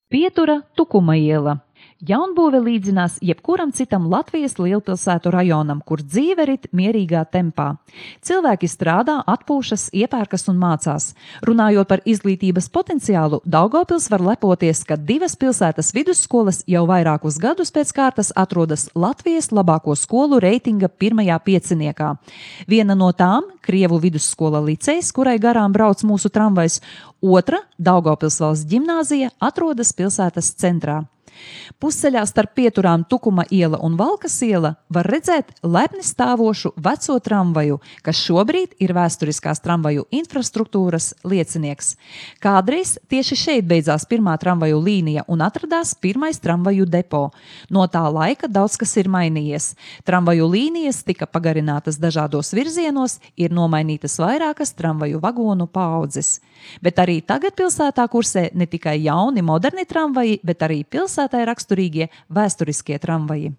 Pietura Tukuma iela. Jaunbūve līdzinās jebkuram citam Latvijas lielpilsētu rajonam, kur dzīve rit mierīgā tempā. Cilvēki strādā, atpūšas, iepērkas un mācās. Runājot par izglītības potenciālu, Daugavpils var lepoties, ka 2 pilsētas vidusskolas jau vairākus gadus pēc kārtas atrodas Latvijas labāko skolu reitinga 1. pieciniekā. Viena no tām – Krievu vidusskola licejs, kurai garām brauc mūsu tramvajs, otra – Daugavpils valsts ģimnāzija atrodas pilsētas centrā. Pusceļā starp pieturām Tukuma iela un Valkas iela var redzēt lepni stāvošu veco tramvaju, kas šobrīd ir vēsturiskās tramvaju infrastruktūras liecinieks. Kādreiz tieši šeit beidzās pirmā tramvaju līnija un atradās pirmais tramvaju depo. No tā laika daudz kas ir mainījies. Tramvaju līnijas tika pagarinātas dažādos virzienos, ir nomainītas vairākas tramvaju vagonu paaudzes. Bet arī tagad pilsētā kursē ne tikai jauni moderni tramvaji, bet arī pilsētai raksturīgie vēsturiskie tramvaji.